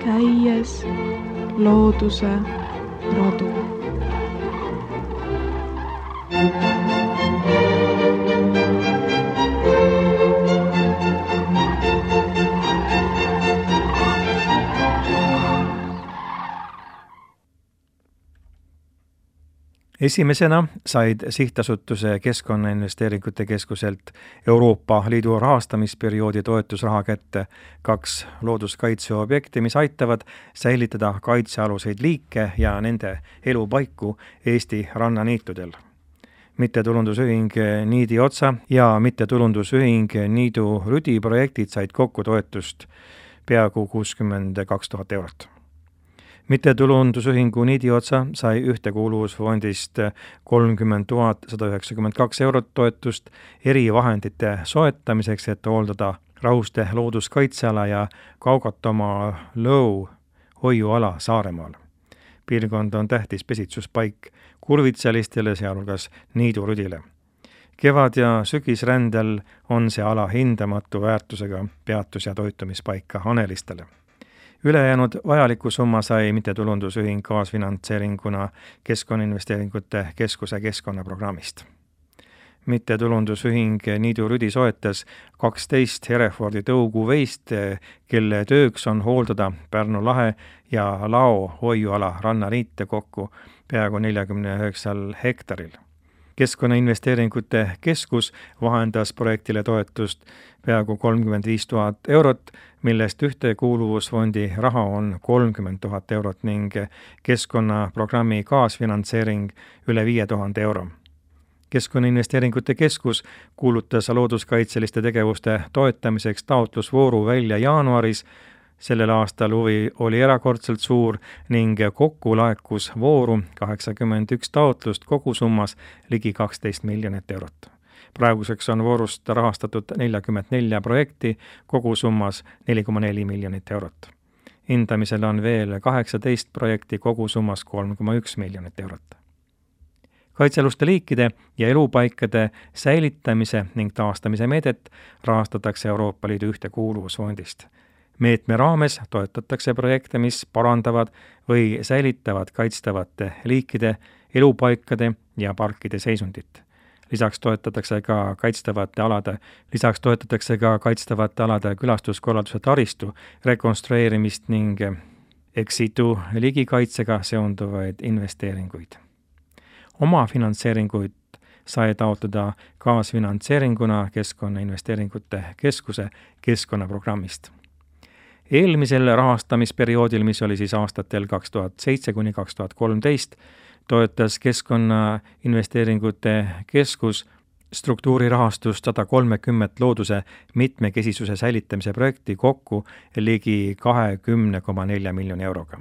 Käies looduse radu. Esimesena said sihtasutuse Keskkonnainvesteeringute Keskuselt Euroopa Liidu rahastamisperioodi toetusraha kätte 2 looduskaitseobjekti, mis aitavad säilitada kaitsealuseid liike ja nende elupaiku Eesti rannaniitudel. Mittetulundusühing Niidi Otsa ja mittetulundusühing Niidu Rüdi projektid said kokku toetust peaaegu 62 000 eurot. Mittetulundusühingu Niidi Otsa sai ühtekuuluvusfondist 30 192 eurot toetust erivahendite soetamiseks, et hooldada Rahuste looduskaitseala ja Kaugatamaa lõu hoiuala Saaremaal. Piirkond on tähtis pesitsuspaik kurvitsalistele, sealhulgas Niidu Rüdile. Kevad- ja sügisrändel on see ala hindamatu väärtusega peatus- ja toitumispaika hanelistele. Ülejäänud vajaliku summa sai mittetulundusühing kaasfinantseeringuna Keskkonnainvesteeringute Keskuse keskkonnaprogrammist. Mittetulundusühing Niidu Rüdi soetas 12 Herefordi tõuguveist, kelle tööks on hooldada Pärnu lahe ja Lao hoiuala rannaliite kokku peaaegu 49 hektaril. Keskkonnainvesteeringute Keskus vahendas projektile toetust peaaegu 35 000 eurot, millest ühtekuuluvusfondi raha on 30 000 eurot ning keskkonnaprogrammi kaasfinantseering üle 5000 euro. Keskkonnainvesteeringute Keskus kuulutas looduskaitseliste tegevuste toetamiseks taotlusvooru välja jaanuaris. Sellel aastal huvi oli erakordselt suur ning kokku laekus vooru 81 taotlust kogusummas ligi 12 miljonit eurot. Praeguseks on voorust rahastatud 44 projekti kogusummas 4,4 miljonit eurot. Hindamisel on veel 18 projekti kogusummas 3,1 miljonit eurot. Kaitsealuste liikide ja elupaikade säilitamise ning taastamise meedet rahastatakse Euroopa Liidu ühtekuuluvusfondist. Meetme raames toetatakse projekte, mis parandavad või säilitavad kaitstavate liikide, elupaikade ja parkide seisundit. Lisaks toetatakse ka kaitstavate alade külastuskorralduse taristu rekonstrueerimist ning ex-situ ligikaitsega seonduvaid investeeringuid. Oma finantseeringuid sai taotleda kaasfinantseeringuna Keskkonnainvesteeringute Keskuse keskkonnaprogrammist. Eelmisel rahastamisperioodil, mis oli siis aastatel 2007–2013, toetas Keskkonnainvesteeringute Keskus struktuurirahastust 130 looduse mitmekesisuse säilitamise projekti kokku ligi 20,4 miljoni euroga.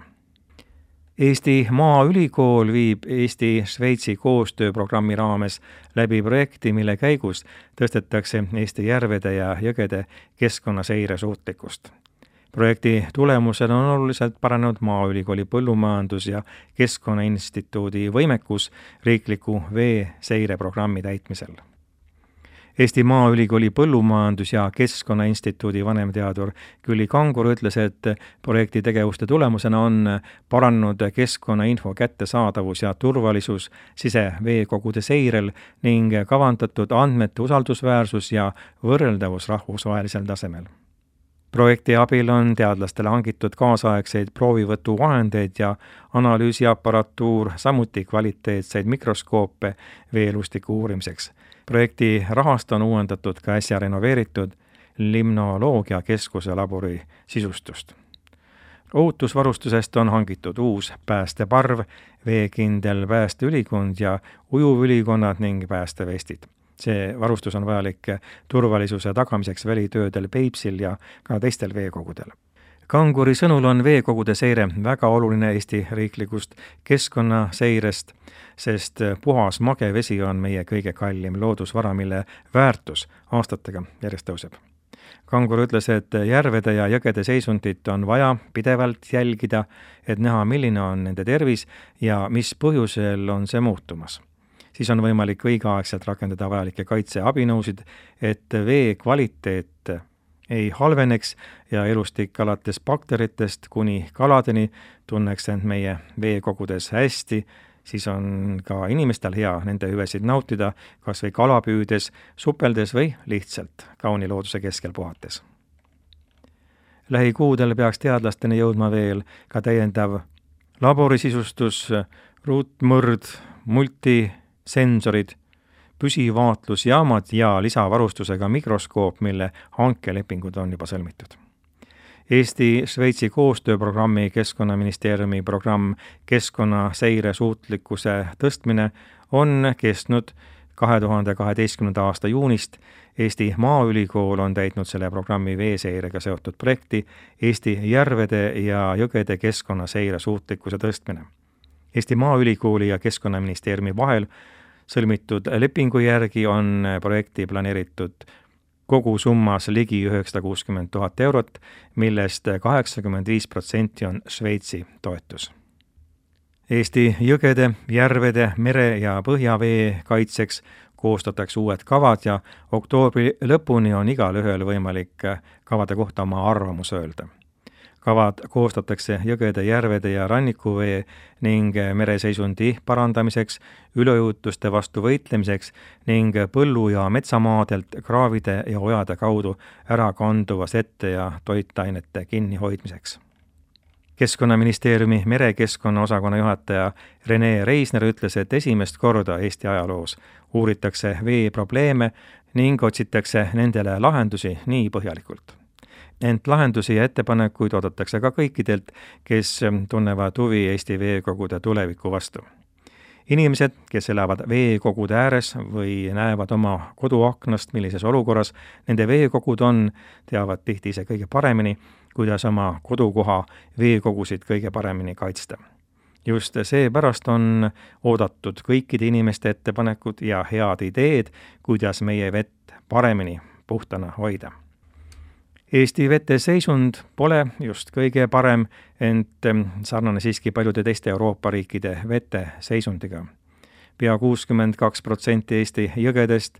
Eesti Maaülikool viib Eesti-Šveitsi koostööprogrammi raames läbi projekti, mille käigus tõstetakse Eesti järvede ja jõgede keskkonnaseire suutlikkust. Projekti tulemusel on oluliselt paranenud Maaülikooli põllumajandus- ja Keskkonnainstituudi võimekus riikliku veeseireprogrammi täitmisel. Eesti Maaülikooli põllumajandus- ja Keskkonnainstituudi vanemteadur Külli Kangur ütles, et projekti tegevuste tulemusena on paranenud keskkonnainfo kättesaadavus ja turvalisus siseveekogude seirel ning kavandatud andmete usaldusväärsus ja võrreldavus rahvusvahelisel tasemel. Projekti abil on teadlastele hangitud kaasaegseid proovivõtuvahendeid ja analüüsiaparatuur, samuti kvaliteetseid mikroskoope veelustiku uurimiseks. Projekti rahast on uuendatud ka äsja renoveeritud Limnoloogia Keskuse labori sisustust. Ohutusvarustusest on hangitud uus päästeparv, veekindel päästeülikond ja ujuvülikonnad ning päästevestid. See varustus on vajalik turvalisuse tagamiseks välitöödel Peipsil ja ka teistel veekogudel. Kanguri sõnul on veekogude seire väga oluline Eesti riiklikust keskkonnaseirest, sest puhas mage vesi on meie kõige kallim loodusvara, mille väärtus aastatega järjest tõuseb. Kangur ütles, et järvede ja jõgede seisundit on vaja pidevalt jälgida, et näha, milline on nende tervis ja mis põhjusel on see muutumas. siis on võimalik õigeaegselt rakendada vajalikke kaitseabinõusid, et vee kvaliteet ei halveneks ja elustik alates bakteritest kuni kaladeni tunneks end meie veekogudes hästi, siis on ka inimestel hea nende hüvesid nautida, kas või kala püüdes, supeldes või lihtsalt kauni looduse keskel puhates. Lähikuudel peaks teadlasteni jõudma veel ka täiendav laborisisustus, ruutmõrd, multisensorid, püsivaatlusjaamad ja lisavarustusega mikroskoop, mille hankelepingud on juba sõlmitud. Eesti-Šveitsi koostööprogrammi Keskkonnaministeeriumi programm Keskkonnaseire suutlikkuse tõstmine on kestnud 2012. aasta juunist. Eesti Maaülikool on täitnud selle programmi veeseirega seotud projekti Eesti järvede ja jõgede keskkonnaseire suutlikkuse tõstmine. Eesti Maaülikooli ja Keskkonnaministeeriumi vahel sõlmitud lepingu järgi on projekti planeeritud kogu summas ligi 960 000 eurot, millest 85% on Šveitsi toetus. Eesti jõgede, järvede, mere- ja põhjavee kaitseks koostatakse uued kavad ja oktoobri lõpuni on igalühel võimalik kavade kohta oma arvamus öelda. Kavad koostatakse jõgede, järvede ja rannikuvee ning mereseisundi parandamiseks, üleujutuste vastu võitlemiseks ning põllu- ja metsamaadelt kraavide ja ojade kaudu ära kanduva sette ja toitainete kinnihoidmiseks. Keskkonnaministeeriumi merekeskkonna osakonna juhataja Rene Reisner ütles, et esimest korda Eesti ajaloos uuritakse veeprobleeme ning otsitakse nendele lahendusi nii põhjalikult. Ent lahendusi ja ettepanekuid oodatakse ka kõikidelt, kes tunnevad huvi Eesti veekogude tuleviku vastu. Inimesed, kes elavad veekogude ääres või näevad oma koduaknast, millises olukorras nende veekogud on, teavad tihti ise kõige paremini, kuidas oma kodukoha veekogusid kõige paremini kaitsta. Just seepärast on oodatud kõikide inimeste ettepanekud ja head ideed, kuidas meie vett paremini puhtana hoida. Eesti vete seisund pole just kõige parem, ent sarnane siiski paljude teiste Euroopa riikide vete seisundiga. Pea 62% Eesti jõgedest,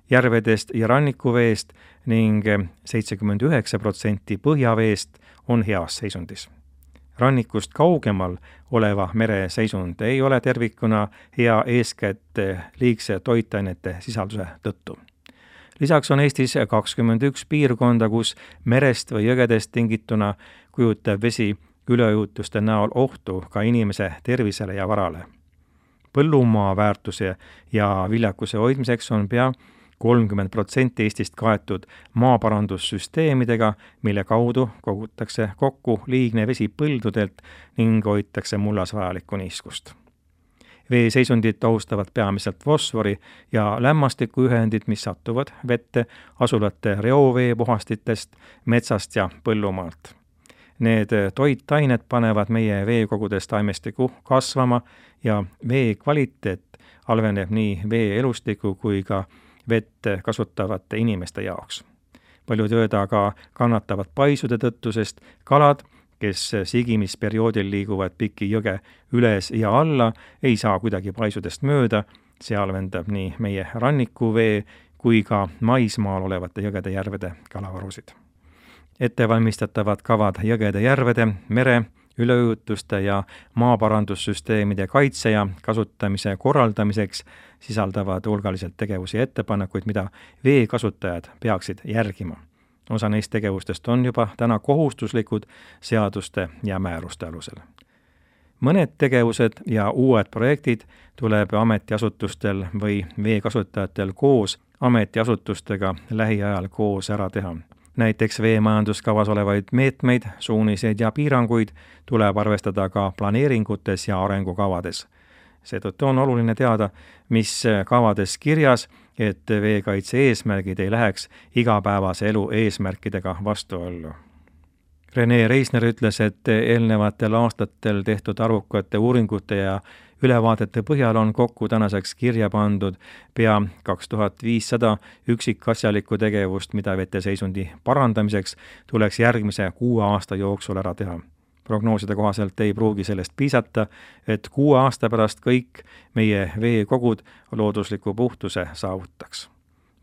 järvedest ja rannikuveest ning 79% põhjaveest on heas seisundis. Rannikust kaugemal oleva mere seisund ei ole tervikuna hea eeskätt liigse toitainete sisalduse tõttu. Lisaks on Eestis 21 piirkonda, kus merest või jõgedest tingituna kujutab vesi üleujutuste näol ohtu ka inimese tervisele ja varale. Põllumaa väärtuse ja viljakuse hoidmiseks on pea 30% Eestist kaetud maaparandussüsteemidega, mille kaudu kogutakse kokku liigne vesi põldudelt ning hoitakse mullas vajalikku niiskust. Veeseisundit ohustavad peamiselt fosfori ja lämmastikuühendid, mis satuvad vette asulate reoveepuhastitest, metsast ja põllumaalt. Need toitained panevad meie veekogudes taimestiku kasvama ja vee kvaliteet halveneb nii vee elustiku kui ka vett kasutavate inimeste jaoks. Paljud jõed aga kannatavad paisude tõttu, sest kalad, kes sigimisperioodil liiguvad Piki jõge üles ja alla, ei saa kuidagi paisudest mööda, see halvendab nii meie rannikuvee kui ka maismaal olevate jõgede järvede kalavarusid. Ettevalmistatavad kavad jõgede järvede, mere, üleujutuste ja maaparandussüsteemide kaitse ja kasutamise korraldamiseks sisaldavad hulgaliselt tegevusi ja ettepanekuid, mida veekasutajad peaksid järgima. Osa neist tegevustest on juba täna kohustuslikud seaduste ja määruste alusel. Mõned tegevused ja uued projektid tuleb ametiasutustel või veekasutajatel koos ametiasutustega lähiajal koos ära teha. Näiteks veemajanduskavas olevaid meetmeid, suuniseid ja piiranguid tuleb arvestada ka planeeringutes ja arengukavades. Seetõttu on oluline teada, mis kavades kirjas, et veekaitse eesmärgid ei läheks igapäevase elu eesmärkidega vastuollu. Rene Reisner ütles, et eelnevatel aastatel tehtud arvukate uuringute ja ülevaadete põhjal on kokku tänaseks kirja pandud pea 2500 üksikasjalikku tegevust, mida veteseisundi parandamiseks tuleks järgmise 6 aasta jooksul ära teha. Prognooside kohaselt ei pruugi sellest piisata, et 6 aasta pärast kõik meie veekogud loodusliku puhtuse saavutaks.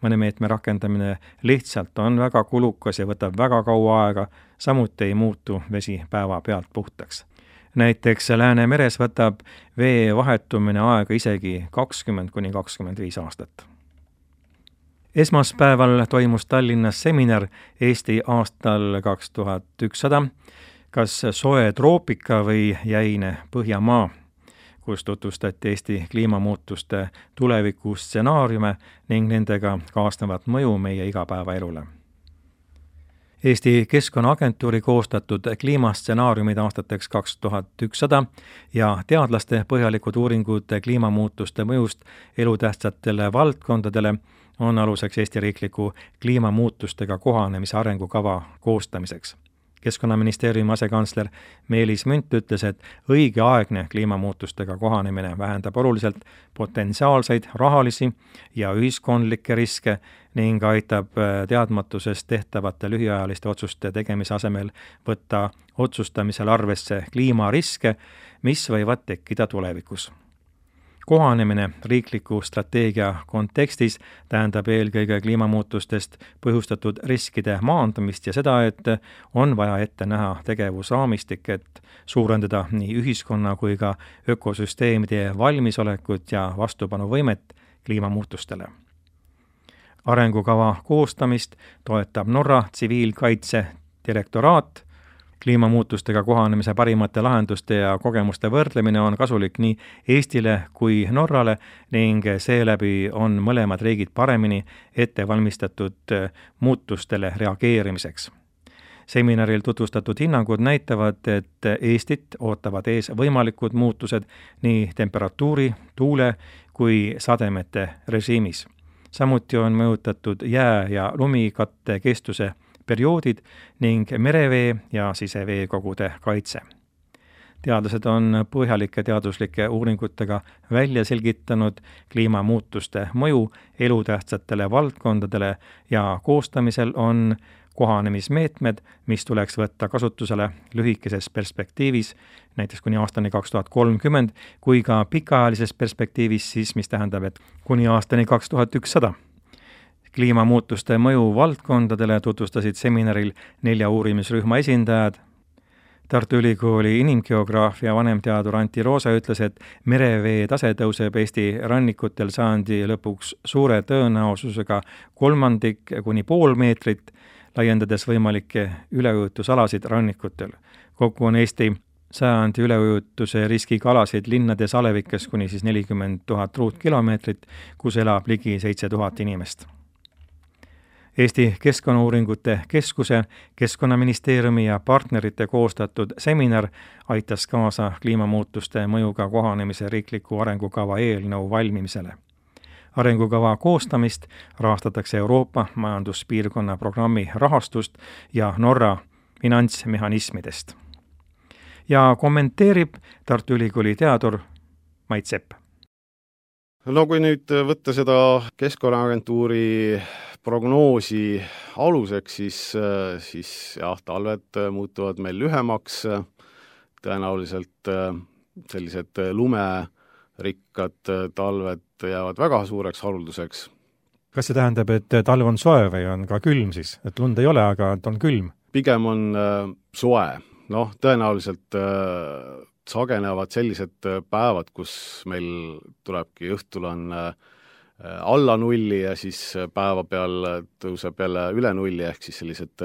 Mõne meetme rakendamine lihtsalt on väga kulukas ja võtab väga kaua aega, samuti ei muutu vesi päevapealt puhtaks. Näiteks Läänemeres võtab vee vahetumine aega isegi 20–25 aastat. Esmaspäeval toimus Tallinnas seminar Eesti aastal 2100, kas soe troopika või jäine Põhjamaa, kus tutvustati Eesti kliimamuutuste tulevikustsenaariume ning nendega kaasnevat mõju meie igapäevaelule. Eesti Keskkonnaagentuuri koostatud kliimastsenaariumid aastateks 2100 ja teadlaste põhjalikud uuringud kliimamuutuste mõjust elutähtsatele valdkondadele on aluseks Eesti riikliku kliimamuutustega kohanemise arengukava koostamiseks. Keskkonnaministeeriumi asekantsler Meelis Münt ütles, et õigeaegne kliimamuutustega kohanemine vähendab oluliselt potentsiaalseid rahalisi ja ühiskondlikke riske ning aitab teadmatusest tehtavate lühiajaliste otsuste tegemise asemel võtta otsustamisel arvesse kliimariske, mis võivad tekkida tulevikus. Kohanemine riikliku strateegia kontekstis tähendab eelkõige kliimamuutustest põhjustatud riskide maandamist ja seda, et on vaja ette näha tegevusraamistik, et suurendada nii ühiskonna kui ka ökosüsteemide valmisolekut ja vastupanuvõimet kliimamuutustele. Arengukava koostamist toetab Norra tsiviilkaitse direktoraat. Kliimamuutustega kohanemise parimate lahenduste ja kogemuste võrdlemine on kasulik nii Eestile kui Norrale ning seeläbi on mõlemad riigid paremini ette valmistatud muutustele reageerimiseks. Seminaril tutvustatud hinnangud näitavad, et Eestit ootavad ees võimalikud muutused nii temperatuuri, tuule kui sademete režiimis. Samuti on mõjutatud jää- ja lumikatte kestuse perioodid ning merevee ja siseveekogude kaitse. Teadlased on põhjalike teaduslike uuringutega välja selgitanud kliimamuutuste mõju elutähtsatele valdkondadele ja koostamisel on kohanemismeetmed, mis tuleks võtta kasutusele lühikeses perspektiivis, näiteks kuni aastani 2030, kui ka pikaajalises perspektiivis siis, mis tähendab, et kuni aastani 2100. Kliimamuutuste mõju valdkondadele tutvustasid seminaril 4 uurimisrühma esindajad. Tartu Ülikooli inimgeograafia vanemteadur Antti Roosa ütles, et merevee tase tõuseb Eesti rannikutel sajandi lõpuks suure tõenäosusega 1/3 kuni 0,5 meetrit, laiendades võimalikke üleujutusalasid rannikutel. Kokku on Eesti sajandi üleujutuse riskiga alasid linnades alevikes kuni 40 000 ruutkilomeetrit, kus elab ligi 7000 inimest. Eesti Keskkonnauuringute Keskuse, Keskkonnaministeeriumi ja partnerite koostatud seminar aitas kaasa kliimamuutuste mõjuga kohanemise riikliku arengukava eelnõu valmimisele. Arengukava koostamist rahastatakse Euroopa majanduspiirkonna programmi rahastust ja Norra finantsmehhanismidest. Ja kommenteerib Tartu Ülikooli teadur Mait Sepp. No kui nüüd võtta seda Keskkonnaagentuuri prognoosi aluseks, siis jah, talved muutuvad meil lühemaks, tõenäoliselt sellised lumerikkad talved jäävad väga suureks harulduseks. Kas see tähendab, et talv on soe või on ka külm siis? Et lund ei ole, aga et on külm? Pigem on soe. Tõenäoliselt sagenevad sellised päevad, kus meil tulebki õhtul on alla nulli ja siis päeva peal tõuseb jälle üle nulli, ehk siis sellised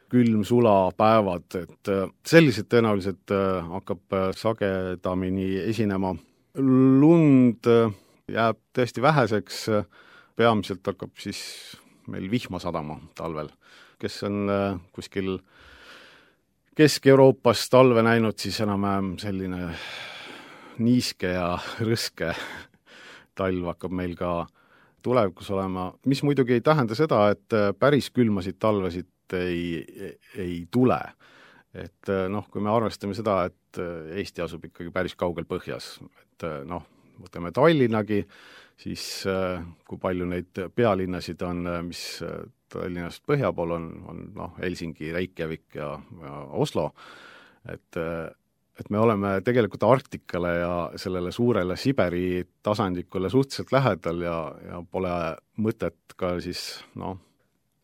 külm-sula päevad, et sellised tõenäoliselt hakkab sagedamini esinema. Lund jääb tõesti väheseks, peamiselt hakkab siis meil vihma sadama talvel. Kes on kuskil Kesk-Euroopas talve näinud, siis enam selline niiske ja rõske talv hakkab meil ka tulevikus olema, mis muidugi ei tähenda seda, et päris külmasid talvesid ei tule. Et kui me arvestame seda, et Eesti asub ikkagi päris kaugel põhjas, et võtame Tallinnagi, siis kui palju neid pealinnasid on, mis Tallinnast põhja pool on Helsingi, Reykjavik ja Oslo, et me oleme tegelikult Arktikale ja sellele suurele Siberi tasandikule suhteliselt lähedal ja pole mõtet ka siis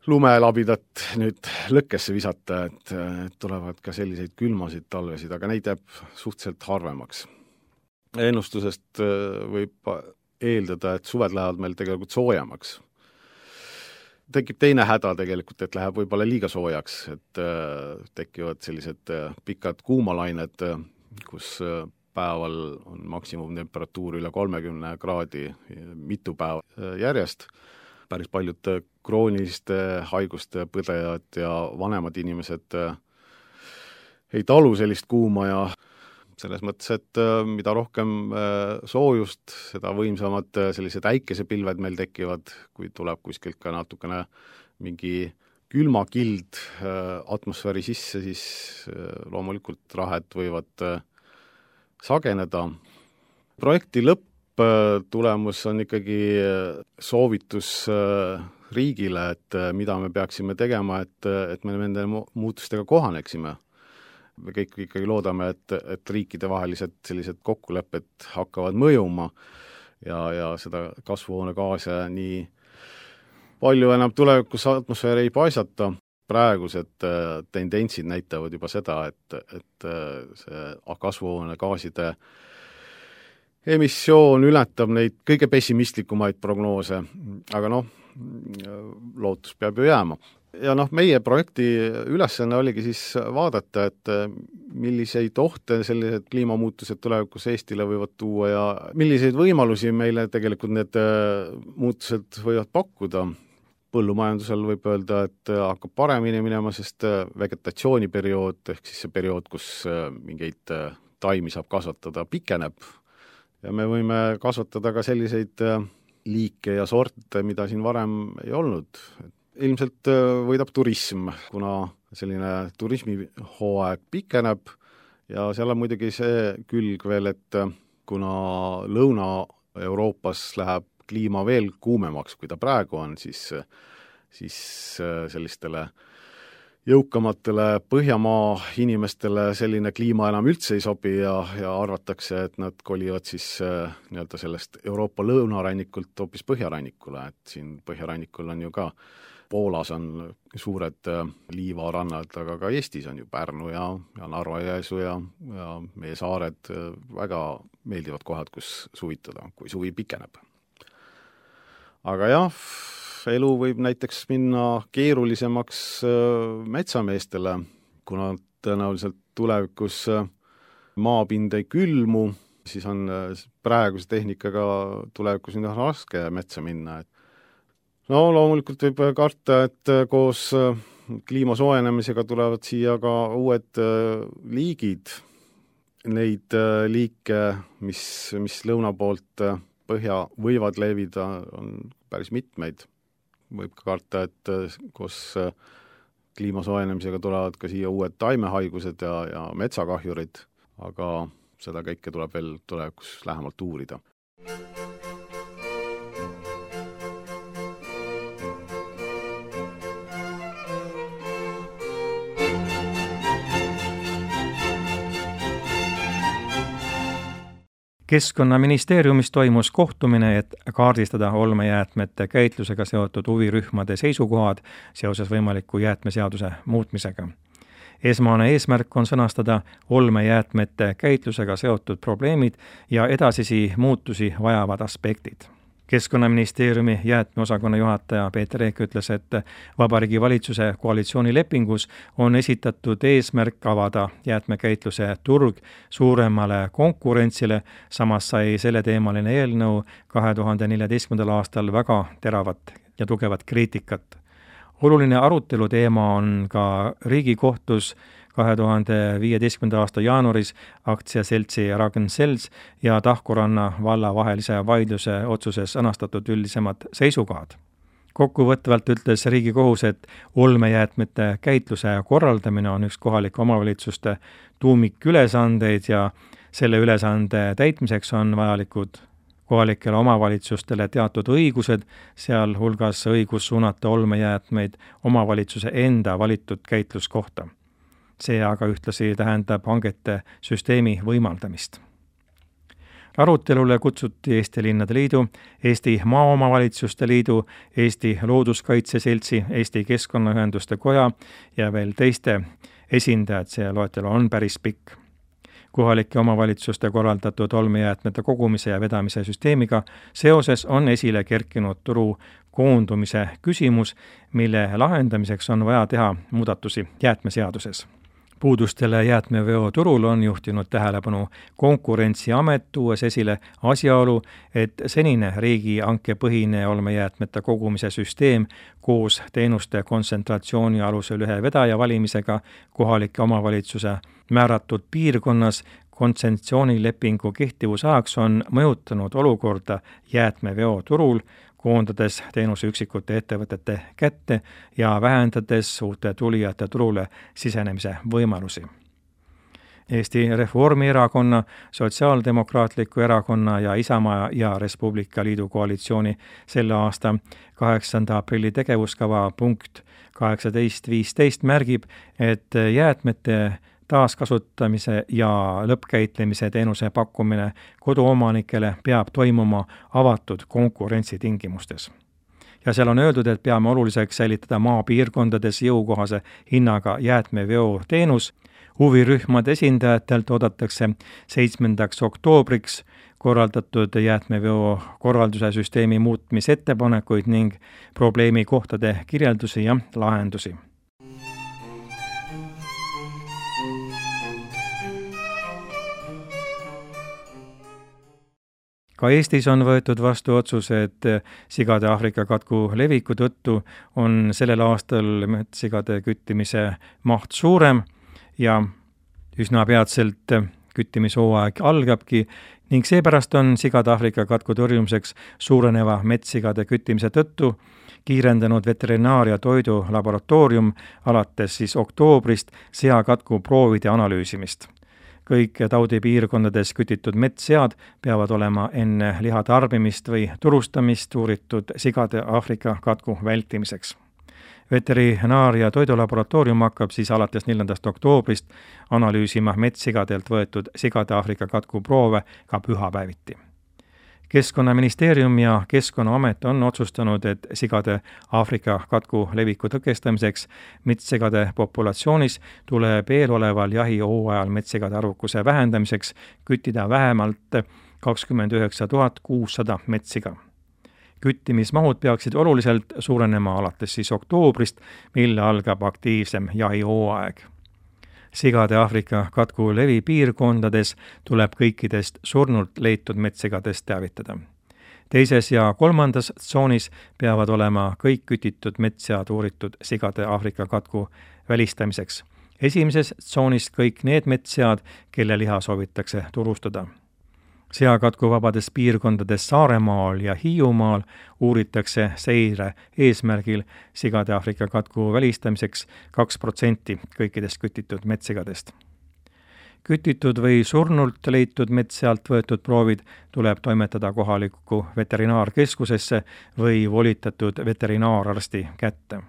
lumelabidat nüüd lõkkesse visata, et tulevad ka selliseid külmasid talvesid, aga neid jääb suhteliselt harvemaks. Ennustusest võib eeldada, et suved lähevad meil tegelikult soojemaks. Tekib teine häda tegelikult, et läheb võib-olla liiga soojaks, et tekivad sellised pikad kuumalained, kus päeval on maksimumtemperatuur üle 30 kraadi mitu päeva järjest. Päris paljud krooniliste haiguste põdejad ja vanemad inimesed ei talu sellist kuuma ja selles mõttes, et mida rohkem soojust, seda võimsamad sellised äikesepilved meil tekivad, kui tuleb kuskilt ka natukene mingi külmakild atmosfääri sisse, siis loomulikult rahed võivad sageneda. Projekti lõpptulemus on ikkagi soovitus riigile, et mida me peaksime tegema, et me nende muutustega kohaneksime. Me kõik ikkagi loodame, et riikide vahelised sellised kokkulepped hakkavad mõjuma ja seda kasvuhoonegaase nii palju enam tulevikus atmosfääri ei paisata. Praegused tendentsid näitavad juba seda, et see kasvuhoonegaaside emissioon ületab neid kõige pessimistlikumaid prognoose, aga lootus peab ju jääma. Ja meie projekti ülesanne oligi siis vaadata, et milliseid ohte sellised kliimamuutused tulevikus Eestile võivad tuua ja milliseid võimalusi meile tegelikult need muutused võivad pakkuda. Põllumajandusel võib öelda, et hakkab paremini minema, sest vegetatsiooniperiood, ehk siis see periood, kus mingeid taimi saab kasvatada, pikeneb. Ja me võime kasvatada ka selliseid liike ja sorte, mida siin varem ei olnud. Ilmselt võidab turism, kuna selline turismihooaeg pikeneb ja seal on muidugi see külg veel, et kuna Lõuna-Euroopas läheb kliima veel kuumemaks, kui ta praegu on, siis sellistele jõukamatele Põhjamaa inimestele selline kliima enam üldse ei sobi ja arvatakse, et nad kolivad siis nii-öelda sellest Euroopa lõunarannikult hoopis põhjarannikule, et siin põhjarannikul on ju ka Poolas on suured liivarannad, aga ka Eestis on ju Pärnu ja Narva-Jõesuu ja meie saared väga meeldivad kohad, kus suvitada, kui suvi pikeneb. Aga jah, elu võib näiteks minna keerulisemaks metsameestele, kuna tõenäoliselt tulevikus maapind ei külmu, siis on praeguse tehnikaga tulevikus nii raske metsa minna. Loomulikult võib karta, et koos kliima soojenemisega tulevad siia ka uued liigid. Neid liike, mis lõuna poolt põhja võivad levida, on päris mitmeid. Võib ka karta, et koos kliima soojenemisega tulevad ka siia uued taimehaigused ja metsakahjurid, aga seda kõike tuleb veel tulevikus lähemalt uurida. Keskkonnaministeeriumis toimus kohtumine, et kaardistada olmejäätmete käitlusega seotud huvirühmade seisukohad seoses võimaliku jäätmeseaduse muutmisega. Esmane eesmärk on sõnastada olmejäätmete käitlusega seotud probleemid ja edasisi muutusi vajavad aspektid. Keskkonnaministeeriumi jäätmeosakonna juhataja Peeter Eek ütles, et Vabariigi Valitsuse koalitsioonilepingus on esitatud eesmärk avada jäätmekäitluse turg suuremale konkurentsile, samas sai selleteemaline eelnõu 2014. aastal väga teravat ja tugevat kriitikat. Oluline arutelu teema on ka Riigikohtus 2015. aasta jaanuaris aktsiaseltsi Ragn-Sells ja Tahkuranna valla vahelise vaidluse otsuses sõnastatud üldisemad seisukohad. Kokkuvõtvalt ütles Riigikohus, et olmejäätmete käitluse korraldamine on üks kohalike omavalitsuste tuumikülesandeid ja selle ülesande täitmiseks on vajalikud kohalikele omavalitsustele teatud õigused, sealhulgas õigus suunata olmejäätmeid omavalitsuse enda valitud käitluskohta. See aga ühtlasi tähendab hangete süsteemi võimaldamist. Arutelule kutsuti Eesti Linnade Liidu, Eesti Maaomavalitsuste Liidu, Eesti Looduskaitse Seltsi, Eesti Keskkonnaühenduste Koja ja veel teiste esindajad, see loetelu on päris pikk. Kohalike omavalitsuste korraldatud olmejäätmete kogumise ja vedamise süsteemiga seoses on esile kerkinud turu koondumise küsimus, mille lahendamiseks on vaja teha muudatusi jäätmeseaduses. Puudustele jäätmeveo turul on juhtinud tähelepanu Konkurentsiamet, tuues esile asjaolu, et senine riigihankepõhine olmejäätmete kogumise süsteem koos teenuste kontsentratsiooni alusel ühe vedaja valimisega kohalike omavalitsuse määratud piirkonnas kontsessioonilepingu kehtivusajaks on mõjutanud olukorda jäätmeveo turul, koondades teenuse üksikute ettevõtete kätte ja vähendades uute tulijate turule sisenemise võimalusi. Eesti Reformierakonna, Sotsiaaldemokraatliku Erakonna ja Isamaa ja Res Publica Liidu koalitsiooni selle aasta 8. aprilli tegevuskava punkt 18.15 märgib, et jäätmete taaskasutamise ja lõppkäitlemise teenuse pakkumine koduomanikele peab toimuma avatud konkurentsi tingimustes. Ja seal on öeldud, et peame oluliseks säilitada maapiirkondades jõukohase hinnaga jäätmeveo teenus. Huvirühmade esindajatelt oodatakse 7. oktoobriks korraldatud jäätmeveo korralduse süsteemi muutmisettepanekuid ning probleemikohtade kirjeldusi ja lahendusi. Ka Eestis on võetud vastu otsus, et sigade Aafrika katku leviku tõttu on sellel aastal metssigade küttimise maht suurem ja üsna peatselt küttimishooaeg algabki ning seepärast on sigade Aafrika katku tõrjumiseks suureneva metssigade küttimise tõttu kiirendanud Veterinaar- ja Toidulaboratoorium alates oktoobrist seakatku proovide analüüsimist. Kõik taudipiirkondades kütitud metssead peavad olema enne liha tarbimist või turustamist uuritud sigade Aafrika katku vältimiseks. Veterinaar- ja Toidulaboratoorium hakkab alates 4. oktoobrist analüüsima metssigadelt võetud sigade Aafrika katku proove ka pühapäeviti. Keskkonnaministeerium ja Keskkonnaamet on otsustanud, et sigade Aafrika katku leviku tõkestamiseks metssegade populatsioonis tuleb eeloleval jahihooajal metssegade arvukuse vähendamiseks küttida vähemalt 29 600 metssiga. Küttimismahud peaksid oluliselt suurenema alates oktoobrist, mil algab aktiivsem jahihooaeg. Sigade Aafrika katku levi piirkondades tuleb kõikidest surnult leitud metssigadest teavitada. 2. ja 3. tsoonis peavad olema kõik kütitud metssead uuritud sigade Aafrika katku välistamiseks. 1. tsoonis kõik need metssead, kelle liha soovitakse turustada. Seakatkuvabades piirkondades Saaremaal ja Hiiumaal uuritakse seire eesmärgil sigade Aafrika katku välistamiseks 2% kõikidest kütitud metssigadest. Kütitud või surnult leitud metssealt võetud proovid tuleb toimetada kohalikku veterinaarkeskusesse või volitatud veterinaararsti kätte.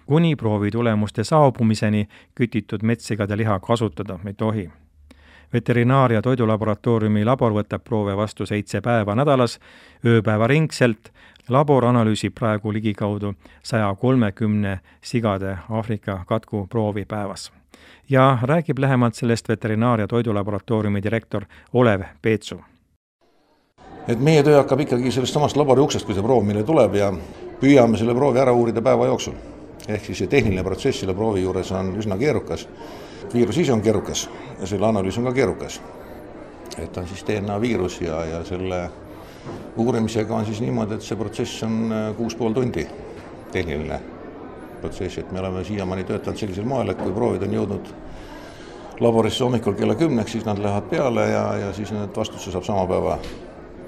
Kuni proovi tulemuste saabumiseni kütitud metssigade liha kasutada ei tohi. Veterinaar- ja Toidulaboratooriumi labor võtab proove vastu 7 päeva nädalas, ööpäevaringselt. Labor analüüsib praegu ligikaudu 130 sigade Aafrika katku proovi päevas. Ja räägib lähemalt sellest Veterinaar- ja Toidulaboratooriumi direktor Olev Peetsu. Et meie töö hakkab ikkagi sellest samast labori uksest, kui see proov meile tuleb ja püüame selle proovi ära uurida päeva jooksul. Ehk siis see tehniline protsess selle proovi juures on üsna keerukas. Viirus ise on keerukas ja selle analüüs on ka keerukas. Et on siis DNA viirus ja selle uurimisega on siis niimoodi, et see protsess on 6,5 tundi tehniline protsess, et me oleme siiamaani töötanud sellisel moel, et kui proovid on jõudnud laborisse hommikul kella 10, siis nad lähevad peale ja siis need vastuse saab sama päeva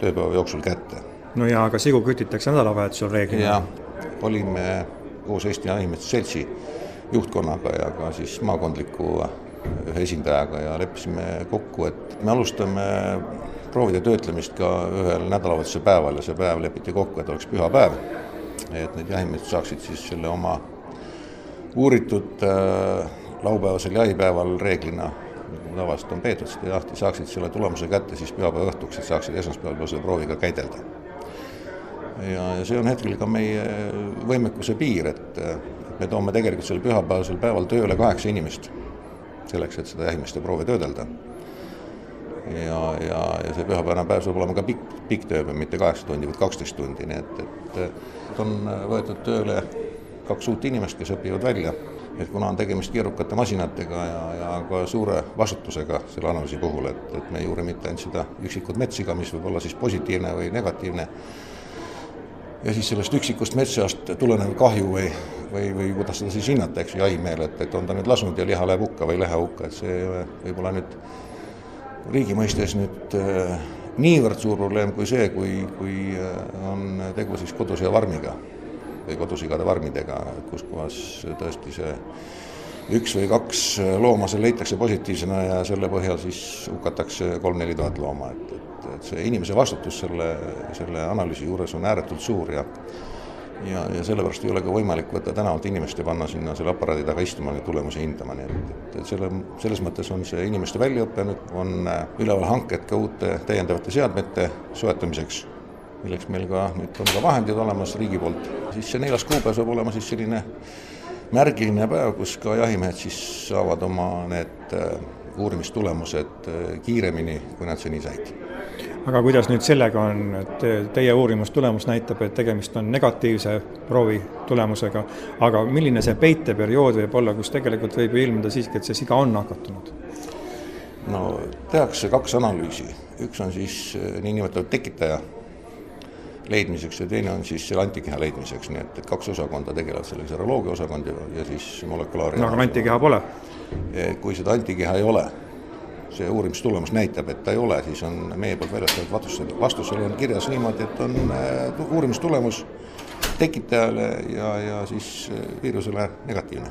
tööpäeva jooksul kätte. No ja aga sigu kütitakse nädalavahetusel reeglina? Ja olime koos Eesti Jahimeeste Seltsi juhtkonnaga ja ka siis maakondliku ühe esindajaga ja leppisime kokku, et me alustame proovide töötlemist ka ühel nädalavahetuse päeval ja see päev lepiti kokku, et oleks pühapäev, et need jahimehed saaksid siis selle oma uuritud laupäevasel jahipäeval reeglina, nagu tavaliselt on peetud seda jahti, saaksid selle tulemuse kätte siis pühapäeva õhtuks, et saaksid esmaspäeval selle prooviga käidelda. Ja see on hetkel ka meie võimekuse piir, et me toome tegelikult selle pühapäevasel päeval tööle 8 inimest selleks, et seda jahimeeste proovi töödelda. Ja see pühapäevane päev saab olema ka pikk töö, mitte 8 tundi, vaid 12 tundi, nii et on võetud tööle 2 uut inimest, kes õpivad välja, et kuna on tegemist keerukate masinatega ja ka suure vastutusega selle analüüsi puhul, et me ei uuri mitte ainult seda üksikut metssiga, mis võib olla siis positiivne või negatiivne, ja siis sellest üksikust metsseast tulenev kahju või kuidas seda siis hinnata, eks jahimehele, et on ta nüüd lasnud ja liha läheb hukka või ei lähe hukka, et see võib-olla nüüd riigi mõistes nüüd niivõrd suur probleem kui see, kui on tegu siis koduse varmiga või kodusigade varmidega, kus kohas tõesti see 1 või 2 looma seal leitakse positiivsena ja selle põhjal siis hukatakse 3-4 tuhat looma, et see inimese vastutus selle analüüsi juures on ääretult suur ja sellepärast ei ole ka võimalik võtta tänavalt inimest ja panna sinna selle aparaadi taga istuma ja tulemusi hindama, nii et selles mõttes on see inimeste väljaõpe, nüüd on üleval hanked ka uute täiendavate seadmete soetamiseks, milleks meil ka nüüd on ka vahendid olemas riigi poolt. Siis see 4. kuupäev saab olema siis selline märgiline päev, kus ka jahimehed siis saavad oma need uurimistulemused kiiremini, kui nad seni said. Aga kuidas nüüd sellega on, et teie uurimustulemus näitab, et tegemist on negatiivse proovi tulemusega, aga milline see peiteperiood võib olla, kus tegelikult võib ilmida siiski, et see siga on nakatunud? No tehakse 2 analüüsi. Üks on siis niinimetatud tekitaja leidmiseks ja teine on siis selle antikeha leidmiseks, nii et 2 osakonda tegelevad selle seroloogia osakond ja siis molekulaari. No aga antikeha pole? Kui seda antikeha ei ole, see uurimistulemus näitab, et ta ei ole, siis on meie poolt väljastatud vastusel on kirjas niimoodi, et on uurimistulemus tekitajale ja siis viirusele negatiivne.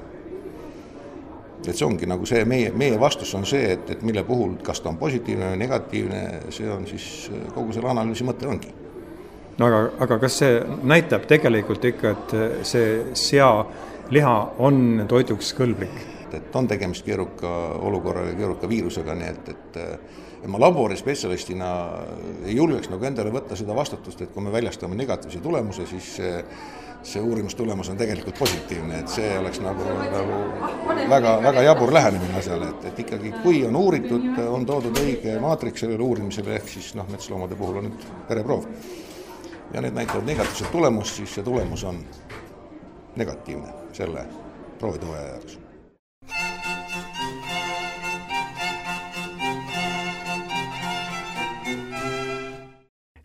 Et see ongi nagu see, meie vastus on see, et mille puhul, kas ta on positiivne või negatiivne, see on siis kogu selle analüüsi mõte ongi. No aga kas see näitab tegelikult ikka, et see sealiha on toiduks kõlblik? Et on tegemist keeruka olukorra ja keeruka viirusega, nii et ma laborispetsialistina ei julgeks nagu endale võtta seda vastutust, et kui me väljastame negatiivse tulemuse, siis see uurimustulemus on tegelikult positiivne, et see oleks nagu väga, väga jabur lähenemine asjale, et ikkagi kui on uuritud, on toodud õige maatriks sellele uurimisele, ehk siis metsloomade puhul on nüüd vereproov. Ja need näitavad negatiivset tulemust, siis see tulemus on negatiivne selle proovitooja jaoks.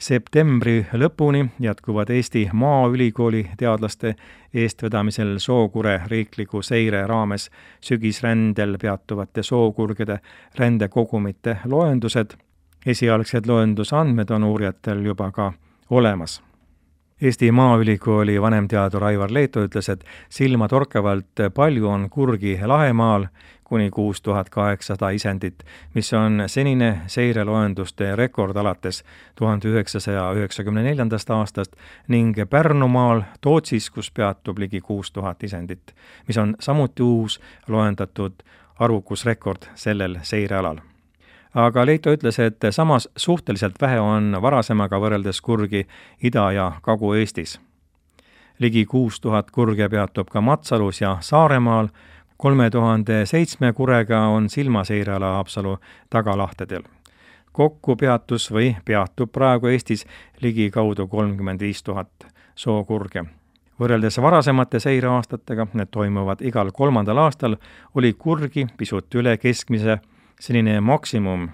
Septembri lõpuni jätkuvad Eesti Maaülikooli teadlaste eestvedamisel Sookure riikliku seire raames sügisrändel peatuvate sookurgede rändekogumite loendused. Esialgsed loendusandmed on uurijatel juba ka olemas. Eesti Maaülikooli vanemteadur Aivar Leeto ütles, et silmatorkavalt palju on kurgi Lahemaal, kuni 6800 isendit, mis on senine seireloenduste rekord alates 1994. aastast ning Pärnumaal Tootsis, kus peatub ligi 6000 isendit, mis on samuti uus loendatud arvukusrekord sellel seirealal. Aga Leito ütles, et samas suhteliselt vähe on varasemaga võrreldes kurgi Ida- ja Kagu-Eestis. Ligi 6000 kurge peatub ka Matsalus ja Saaremaal, 3007 kurega on silmaseireala Haapsalu tagalahtedel. Kokku peatus või peatub praegu Eestis ligi kaudu 35 000 sookurge. Võrreldes varasemate seireaastatega, need toimuvad igal 3. aastal, oli kurgi pisut üle keskmise. Senine maksimum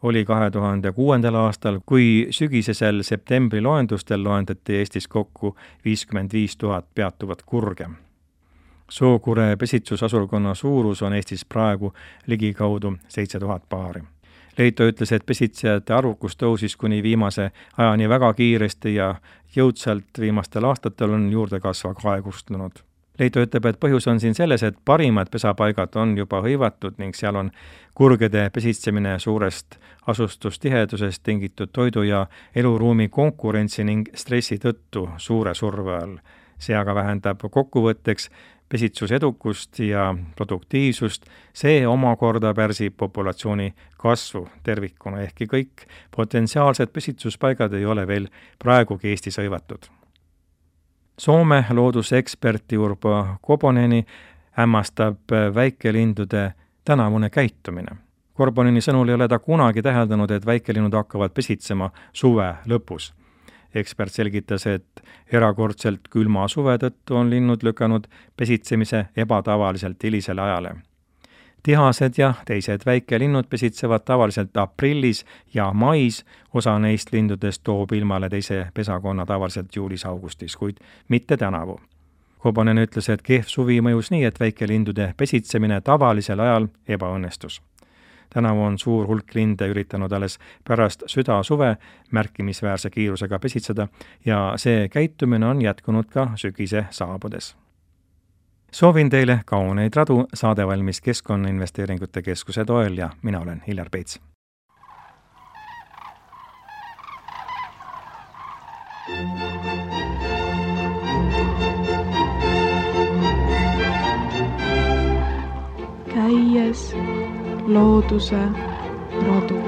oli 2006. aastal, kui sügisesel septembri loendustel loendati Eestis kokku 55 000 peatuvat kurge. Sookure pesitsusasurkonna suurus on Eestis praegu ligikaudu 7000 paari. Leito ütles, et pesitsejate arvukus tõusis kuni viimase ajani väga kiiresti ja jõudsalt viimastel aastatel on juurdekasva aeglustunud. Leito ütleb, et põhjus on siin selles, et parimad pesapaigad on juba hõivatud ning seal on kurgede pesitsemine suurest asustustihedusest tingitud toidu ja eluruumi konkurentsi ning stressi tõttu suure surve all. See aga vähendab kokkuvõtteks pesitsusedukust ja produktiivsust, see omakorda pärsib populatsiooni kasvu tervikuna, ehkki kõik potentsiaalsed pesitsuspaigad ei ole veel praegugi Eestis hõivatud. Soome looduseksperti Urpo Koponeni hämmastab väikelindude tänavune käitumine. Korbonini sõnul ei ole ta kunagi täheldanud, et väikelinnud hakkavad pesitsema suve lõpus. Ekspert selgitas, et erakordselt külma suve tõttu on linnud lükanud pesitsemise ebatavaliselt hilisele ajale. Tihased ja teised väikelinnud pesitsevad tavaliselt aprillis ja mais, osa neist lindudest toob ilmale teise pesakonna tavaliselt juulis-augustis, kuid mitte tänavu. Koponen ütles, et kehv suvi mõjus nii, et väikelindude pesitsemine tavalisel ajal ebaõnnestus. Tänavu on suur hulk linde üritanud alles pärast südasuve märkimisväärse kiirusega pesitseda ja see käitumine on jätkunud ka sügise saabudes. Soovin teile kauneid radu, saade valmis Keskkonnainvesteeringute Keskuse toel ja mina olen Hillar Peets. Käies looduse radu.